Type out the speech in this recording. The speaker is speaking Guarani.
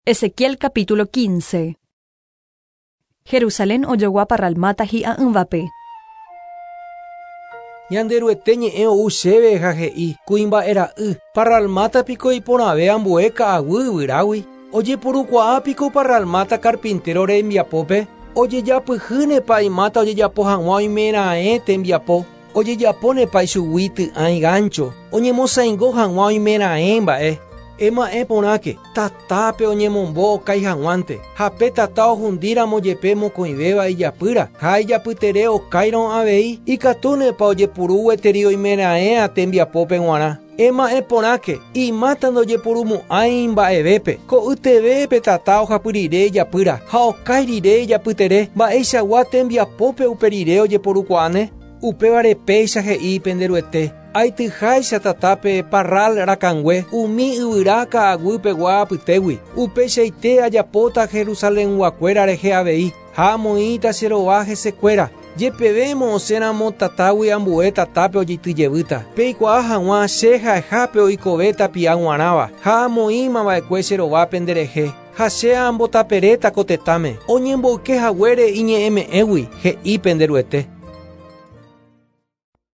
Ezequiel capítulo 15. Jerusalén ojogua parral máta hi'a'ỹvape. Ñanderuete ñe'ẽ ou chéve ha he'i, Kuimba'e ra'y, parral máta piko iporãve ambue ka'aguy yvyrágui? Ojeporukuaa piko parral máta carpintero rembiapópe? Ojejapyhýnepa imáta ojejapo hag̃ua oimeraẽ tembiapo? Ojejapónepa ichugui ty'ãi gáncho, oñemosaingo hag̃ua oimeraẽ mba'e? Ema'ẽ porãke, tatápe oñemombo okái hag̃uánte, ha pe tata ohundíramo jepe mokõivéva ijapýra, ha ijapytere okáirõ avei, ikatúnepa ojepuru gueteri oimeraẽa tembiapópe g̃uarã. Ema'ẽ porãke, imáta ndojepurumo'ãi mba'evépe, ko'yteve pe tata ohapy rire ijapýra, ha okái rire ijapytere, mba'eichagua tembiapópe upe rire ojeporukuaáne? Upévare péicha he'i pende Ruete, Aityháicha tatápe parral rakãngue umi yvyra ka'aguy pegua apytégui, upeichaite ajapóta Jerusalenguakuéra rehe avei, ha amoĩta che rova hesekuéra. Jepevémo osẽramo tatágui ambue tatápe ojeity jevýta, peikuaa hag̃ua che ha'eha pe oikove tapia g̃uarãva, ha amoĩma va'ekue che rova penderehe, ha che ambotaperéta ko tetãme, oñemboyke haguére iñe'ẽme'ẽgui, he'i pende Ruete.